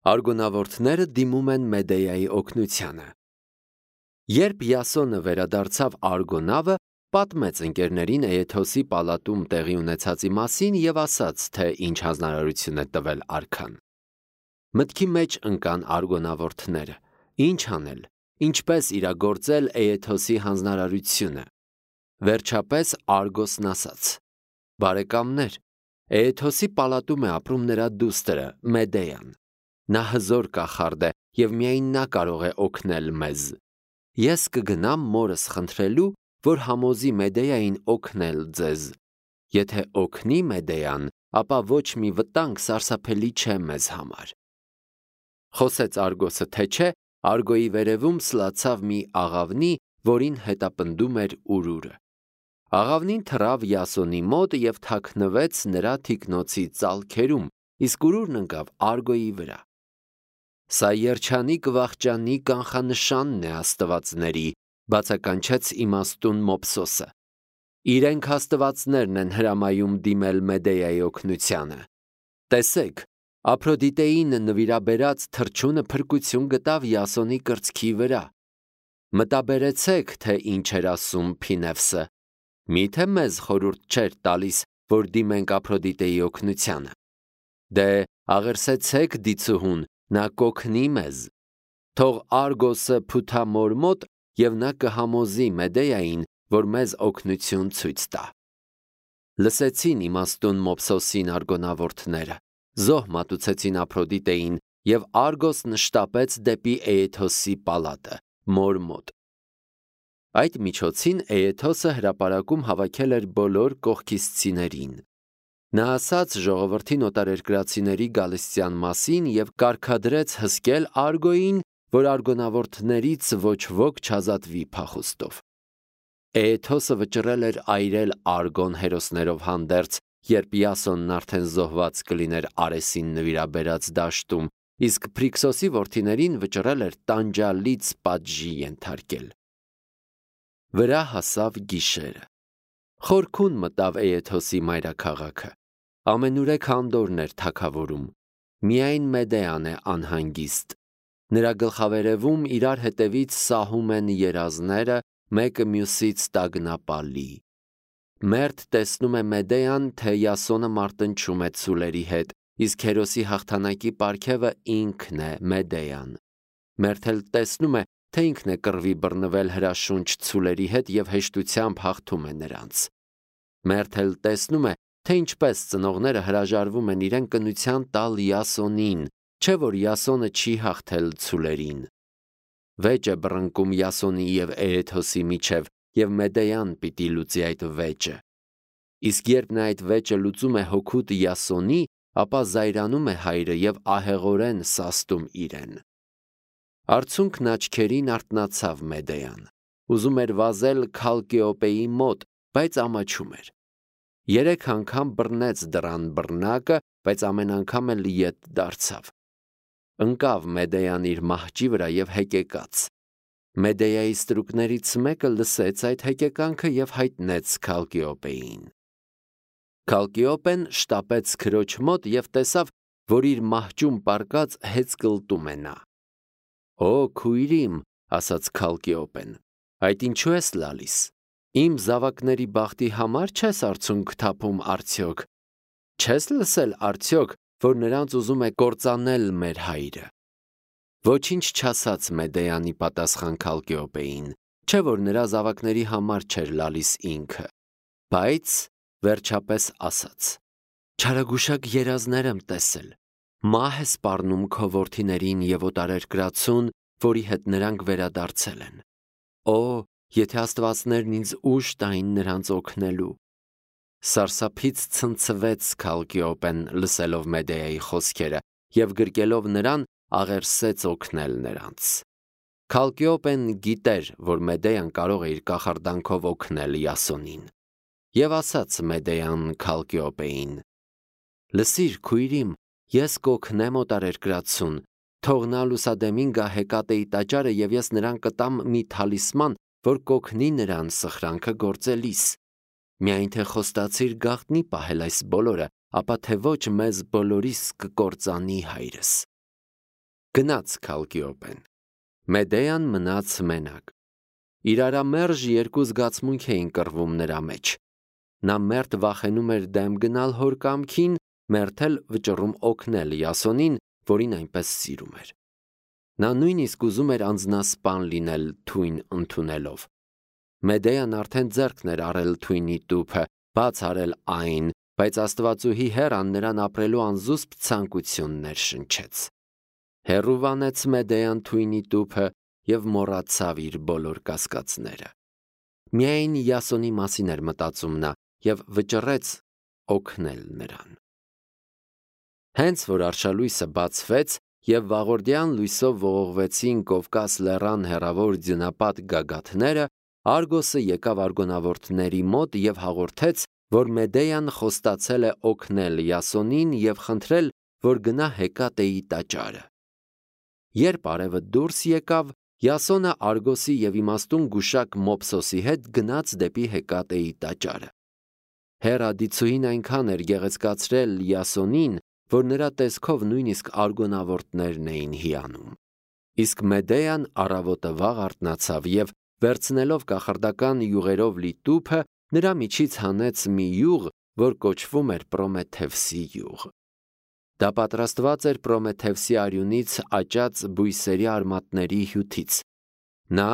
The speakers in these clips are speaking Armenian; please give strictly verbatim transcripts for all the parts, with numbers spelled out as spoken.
Արգոնավորտները դիմում են Մեդեայի օգնությանը։ Երբ Յասոնը վերադարձավ Արգոնավը, պատմեց ընկերներին Էեթոսի պալատում տեղի ունեցածի մասին և ասաց, թե ինչ հանձնարարություն է տվել արքան։ Մտքի մեջ ընկան արգոնավորտները. ինչ անել, ինչպես իրագործել Էեթոսի հանձնարարությունը։ Վերջապես Արգոսն ասաց. բարեկամներ, Էեթոսի պալատում է ապրում նրա դուստրը Մեդեան։ Նա հզոր կախարդ է և միայն նա կարող է օգնել մեզ։ Ես կգնամ մորս խնդրելու, որ համոզի Մեդեային օգնել ձեզ։ Եթե օգնի Մեդեան, ապա ոչ մի վտանգ սարսափելի չէ մեզ համար։ Խոսեց Արգոսը, թե չէ, Արգոյի վերևում սլացավ մի աղավնի, որին հետապնդում էր ուրուրը։ Աղավնին թռավ Յասոնի մոտ և թաքնվեց նրա թիկնոցի ծալքերում, իսկ ուրուրն ընկավ Արգոյի վրա։ Սա երջանիկ վախճանի կանխանշանն է աստվածների, բացականչեց իմաստուն Մոփսոսը։ Իրենք աստվածներն են հրամայում դիմել Մեդեայի օգնությանը։ Տեսեք, Ափրոդիտեին նվիրաբերած թռչունը փրկություն գտավ Յասոնի կրծքի վրա։ Մտաբերեցեք, թե ինչ էր ասում Փինևսը։ Միթե մեզ խորհուրդ չէր տալիս, որ դիմենք Ափրոդիտեի օգնությանը։ Դե, աղերսեցեք դիցուհուն, նա կօգնի մեզ։ Թող Արգոսը փութա մոր մոտ, և նա կհամոզի Մեդեային, որ մեզ օգնություն ցույց տա։ Լսեցին իմաստուն Մոփսոսին արգոնավորտները, զոհ մատուցեցին Ափրոդիտեին, և Արգոսն շտապեց դեպի Էեթոսի պալատը, մոր մոտ։ Այդ միջոցին Էեթոսը հրապարակում հավաքել էր բոլոր կողքիսցիներին։ Նա ասաց ժողովրդին օտարերկրացիների գալստյան մասին և կարգադրեց հսկել Արգոյին, որ արգոնավորտներից ոչ ոք չազատվի փախուստով։ Էեթոսը վճռել էր այրել Արգոն հերոսներով հանդերձ, երբ Յասոնն արդեն զոհված կլիներ Արեսին նվիրաբերած դաշտում, իսկ Փրիքսոսի որդիներին վճռել էր տանջալից պատժի ենթարկել։ Վրա հասավ գիշերը։ Խորքուն մտավ Էեթոսի մայրաքաղաքը։ Ամենուրեք անդորն էր թագավորում։ Միայն Մեդեան է անհանգիստ։ Նրա գլխավերևում իրար հետևից սահում են երազները, մեկը մյուսից տագնապալի։ Մերթ տեսնում է Մեդեան, թե Յասոնը մարտնչում է ցուլերի հետ, իսկ հերոսի հաղթանակի պարգևը ինքն է Մեդեան։ Մերթ էլ տեսնում է, թե ինքն է կռվի բռնվել հրաշունչ ցուլերի հետ և հեշտությամբ հաղթում է նրանց։ Մերթ էլ տեսնում է, թե ինչպես ծնողները հրաժարվում են իրեն կնության տալ Յասոնին, չէ՞ որ Յասոնը չի հաղթել ցուլերին։ Վեճ է բռնկում Յասոնի և Էեթոսի միջև, և Մեդեան պիտի լուծի այդ վեճը։ Իսկ երբ նա այդ վեճը լուծում է հօգուտ Յասոնի, ապա զայրանում է հայրը և ահեղորեն սաստում իրեն։ Արցունքն աչքերին արթնացավ Մեդեան։ Ուզում էր վազել Քալկեոպեի մոտ, բայց ամաչում էր։ Երեք անգամ բռնեց դռան բռնակը, բայց ամեն անգամ էլ ետ դարձավ։ Ընկավ Մեդեան իր մահճի վրա և հեկեկաց։ Մեդեայի ստրուկներից մեկը լսեց այդ հեկեկանքը և հայտնեց Քալկեոպեին։ Քալկեոպեն շտապեց քրոջ մոտ և տեսավ, որ իր մահճում պառկած հեծկլտում է նա։ «Օ, քույրիմ», ասաց Քալկեոպեն, «այդ ինչու ես լալիս։ Իմ զավակների բախտի համար չես արցունք թափում արդյոք։ Չես լսել արդյոք, որ նրանց ուզում է կործանել մեր հայրը»։ Ոչինչ չասաց Մեդեանի պատասխան Քալկեոպեին, չէ՞ որ նրա զավակների համար չէր լալիս ինքը, բայց վերջապես ասաց. «Չարագուշակ երազներ եմ տեսել։ Մահ է սպառնում քո որդիներին և օտարերկրացուն, որի հետ նրանք վերադարձել են։ Օ, եթե աստվածներն ինձ ուժ տային նրանց օգնելու»։ Սարսափից ցնցվեց Քալկեոպեն, լսելով Մեդեայի խոսքերը, և գրկելով նրան, աղերսեց օգնել նրանց։ Քալկեոպեն գիտեր, որ Մեդեան կարող է իր կախարդանքով օգնել Յասոնին։ Եվ ասաց Մեդեան Քալկեոպեին. «Լսիր, քույրիմ, ես կօգնեմ օտարերկրացուն, թող նա լուսադեմին գա Հեկատեի տաճարը և ես նրան կտամ մի թալիսման, որ կօգնի նրան սխրանքը գործելիս։ Միայն թե խոստացիր գաղտնի պահել այս բոլորը, ապա թե ոչ մեզ բոլորիս կկործանի հայրս»։ Գնաց Քալկիոպեն։ Մեդեան մնաց մենակ։ Իրարամերժ երկու զգացմունք էին կռվում նրա մեջ։ Նա մերթ վախենում էր դեմ գնալ հոր կամքին, մերթ էլ վճռում օգնել Յասոնին, որին այնպես սիրում էր։ Նա նույնիսկ ուզում էր անձնասպան լինել թույն ընդունելով։ Մեդեան արդեն ձեռքն էր առել թույնի տուփը, բաց արել այն, բայց Աստվածուհի հեռան նրան ապրելու անզուսպ ցանկություններ շնչեց։ Հեռու վանեց Մեդեան թույնի տուփը և մոռացավ իր բոլոր կասկածները։ Միայն Յասոնի մասին էր մտածում նա և վճռեց օգնել նրան։ Հենց որ արշալույսը բացվեց և վաղորդյան լույսով ողողվեցին Կովկաս լեռան հեռավոր ձյունապատ գագաթները, Արգոսը եկավ արգոնավորտների մոտ և հաղորդեց, որ Մեդեան խոստացել է օգնել Յասոնին և խնդրել, որ գնա Հեկատեի տաճարը։ Երբ արևը դուրս եկավ, Յասոնը Արգոսի և իմաստուն գուշակ Մոփսոսի հետ գնաց դեպի Հեկատեի տաճարը։ Հեռադիցուհին այնքան էր գեղեցկացրել Յասոնին, որ նրա տեսքով նույնիսկ արգոնավորտներն էին հիանում։ Իսկ Մեդեան առավոտը վաղ արթնացավ և, վերցնելով կախարդական յուղերով լի տուփը, նրա միջից հանեց մի յուղ, որ կոչվում էր Պրոմեթևսի յուղ։ Դա պատրաստված էր Պրոմեթևսի արյունից աճած բույսերի արմատների հյութից։ Նա,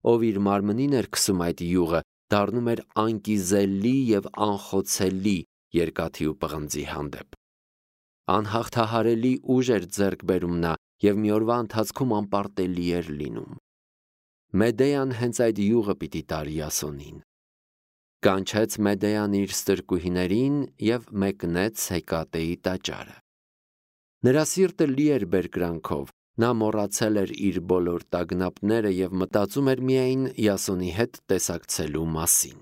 ով իր մարմնին էր քսում այդ յուղը, դառնում էր անկիզելի և անխոցելի երկաթի ու պղնձի հանդեպ։ Անհաղթահարելի ուժ էր ձեռք բերում նա և մի օրվա ընթացքում անպարտելի էր լինում։ Մեդեան հենց այդ յուղը պիտի տար Յասոնին։ Կանչեց Մեդեան իր ստրկուհիներին և մեկնեց Հեկատեի տաճարը։ Նրա սիրտը լի էր բերկրանքով, նա մոռացել էր իր բոլոր տագնապները և մտածում էր միայն Յասոնի հետ տեսակցելու մասին։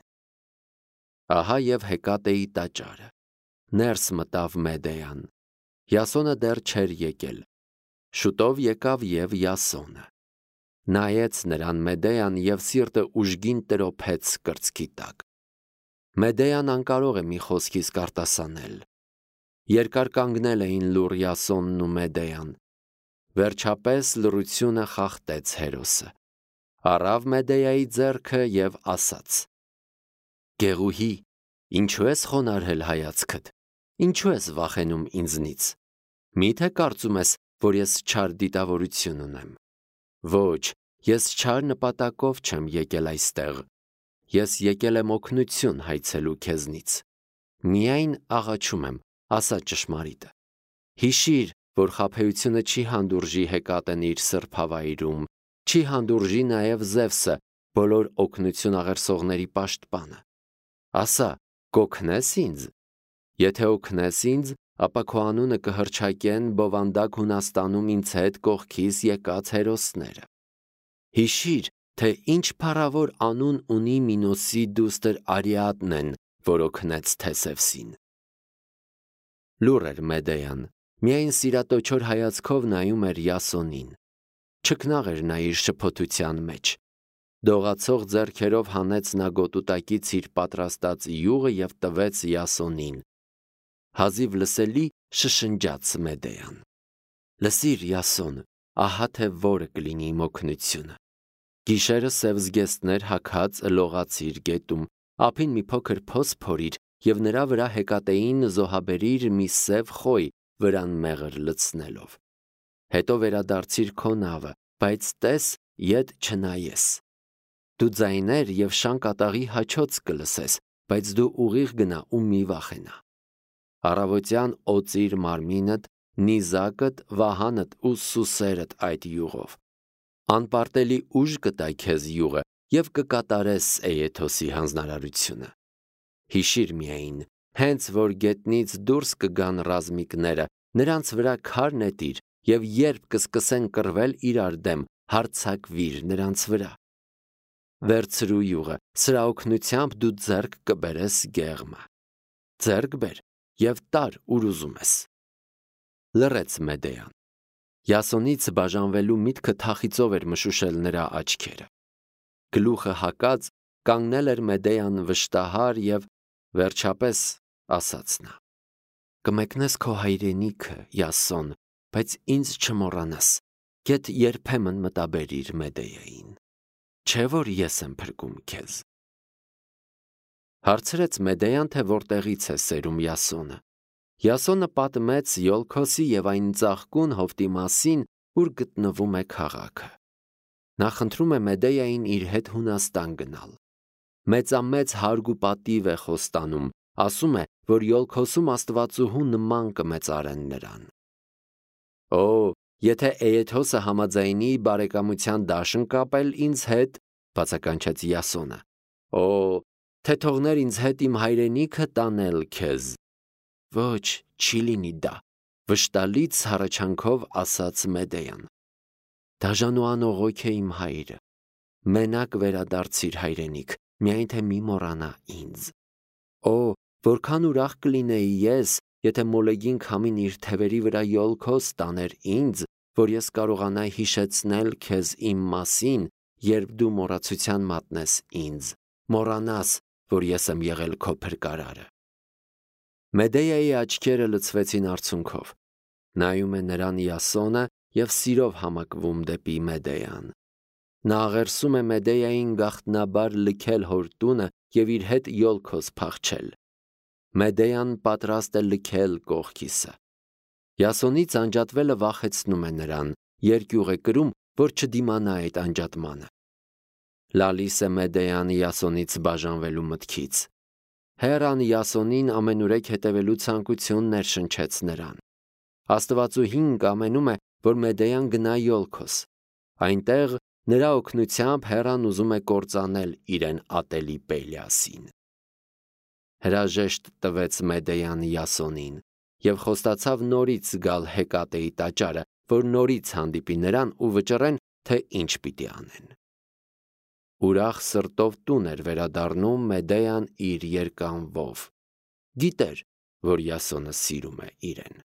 Ահա և Հեկատեի տաճարը։ Ներս մտավ Մեդեան։ Յասոնը դեռ չէր եկել։ Շուտով եկավ և Յասոնը։ Նայեց նրան Մեդեան և սիրտը ուժգին տրոփեց կրծքի տակ։ Մեդեան անկարող է մի խոսքից արտասանել։ Երկար կանգնել էին լուռ Յասոնն ու Մեդեան։ Վերջապես լռությունը խախտեց հերոսը։ Առավ Մեդեայի ձեռքը և ասաց. «Գեղուհի, ինչու ես խոնարհել հայացքդ, ինչու ես վախենում ինձնից։ Մի՞թե կարծում ես, որ ես չար դիտավորություն ունեմ։ Ոչ, ես չար նպատակով չեմ եկել այստեղ։ Ես եկել եմ օգնություն հայցելու քեզնից։ Միայն աղաչում եմ, ասա ճշմարիտը։ Հիշիր, որ խաբեությունը չի հանդուրժի Հեկատեն իր սրբավայրում, չի հանդուրժի նաև Զևսը, բոլոր օգնություն աղերսողների պաշտպանը։ Ասա, կօգնես ինձ։ Եթե օգնես ինձ, ապա քո անունը կհռչակեն բովանդակ Հունաստանում ինձ հետ կողքիս եկած հերոսները։ Հիշիր, թե ինչ փառավոր անուն ունի Մինոսի դուստր Արիադնն են, որ օգնեց Թեսևսին»։ Լուռ էր Մեդեան, միայն սիրատոչոր հայացքով նայում էր Յասոնին։ Չքնաղ էր նա իր շփոթության մեջ։ Դողացող ձեռքերով հանեց նա գոտուտակից իր պատրաստած յուղը և տվեց Յասոնին։ Հազիվ լսելի շշնջաց Մեդեան. «Լսիր, Յասոն, ահա թե որը կլինի իմ օգնությունը։ Գիշերը սև զգեստներ հագած լողացիր գետում, ափին մի փոքր փոս փորիր և նրա վրա Հեկատեին զոհաբերիր մի սև խոյ վրան մեղր լցնելով։ Հետո վերադարձիր քո նավը, բայց տես, ետ չնայես։ Դու ձայներ և շան կատաղի հաչոց կլսես, բայց դու ուղիղ գնա ու մի վախենա։ Առավոտյան օծիր մարմինդ, նիզակդ, վահանդ ու սուսերդ այդ յուղով։ Անպարտելի ուժ կտա քեզ յուղը և կկատարես Էեթոսի հանձնարարությունը։ Հիշիր միայն, հենց որ գետնից դուրս կգան ռազմիկները, նրանց վրա քար նետիր և երբ կսկսեն կռվել իրար դեմ, հարձակվիր նրանց վրա։ Վերցրու յուղը, սրա օգնությամբ դու ձեռք կբերես գեղմը։ Ձեռք բեր և տար ուր ուզում ես։ Լռեց Մեդեան։ Յասոնից բաժանվելու միտքը թախիծով էր մշուշել նրա աչքերը։ Գլուխը հակած կանգնել էր Մեդեան վշտահար և վերջապես ասաց նա. «Կմեկնես քո հայրենիքը, Յասոն, բայց ինձ չմոռանաս։ Գեթ երբեմն մտաբերիր Մեդեային, չէ որ ես եմ փրկում քեզ։ Հարցրեց Մեդեան, թե որտեղից է սերում Յասոնը։ Յասոնը պատմեց Յոլքոսի եւ այն ծաղկուն հովտի մասին, ուր գտնվում է քաղաքը։ Նա խնդրում է Մեդեային իր հետ Հունաստան գնալ։ Մեծամեծ հարգ ու պատիվ է խոստանում, ասում է, որ Յոլքոսում Աստվածուհու նման կմեծարեն նրան։ Օ, եթե Էեթոսը համաձայնի բարեկամության դաշն կապել ինձ հետ, բացականչեց Յասոնը։ Օ, թե թողներ ինձ հետ իմ հայրենիքը տանել քեզ։ Ոչ, չի լինի դա, վշտալից հառաչանքով ասաց Մեդեան։ Դաժան ու անողոք է իմ հայրը։ Մենակ վերադարձիր հայրենիք, միայն թե մի մոռանա ինձ։ Օ, որքան ուրախ կլինեի ես, եթե մոլեգին քամին իր թևերի վրա Յոլքոս տաներ ինձ, որ ես կարողանայի հիշեցնել քեզ իմ մասին, երբ դու մոռացության մատնես ինձ, մոռանաս, որ ես եմ եղել քո փրկարարը։ Մեդեայի աչքերը լցվեցին արցունքով։ Նայում է նրան Յասոնը եւ սիրով համակվում դեպի Մեդեան։ Նա աղերսում է Մեդեային գաղտնաբար լքել հոր տունը եւ իր հետ Յոլքոս փախչել։ Մեդեան պատրաստ է լքել կողքիսը։ Յասոնից անջատվելը վախեցնում է նրան, երկյուղ է կրում, որ չդիմանա այդ անջատմանը։ Լալիս է Մեդեան Յասոնից բաժանվելու մտքից։ Հեռան Յասոնին ամենուրեք հետևելու ցանկություն ներշնչեց նրան։ Աստվածուհին կամենում է, որ Մեդեան գնա Յոլքոս։ Այնտեղ նրա օգնությամբ Հեռան ուզում է կործանել իրեն ատելի Պելիասին։ Հրաժեշտ տվեց Մեդեան Յասոնին եւ խոստացավ նորից գալ Հեկատեի տաճարը, որ նորից հանդիպի նրան ու վճռեն, թե ինչ պիտի անեն։ Ուրախ սրտով տուն էր վերադառնում Մեդեան իր երկանվով։ Գիտեր, որ Յասոնը սիրում է իրեն։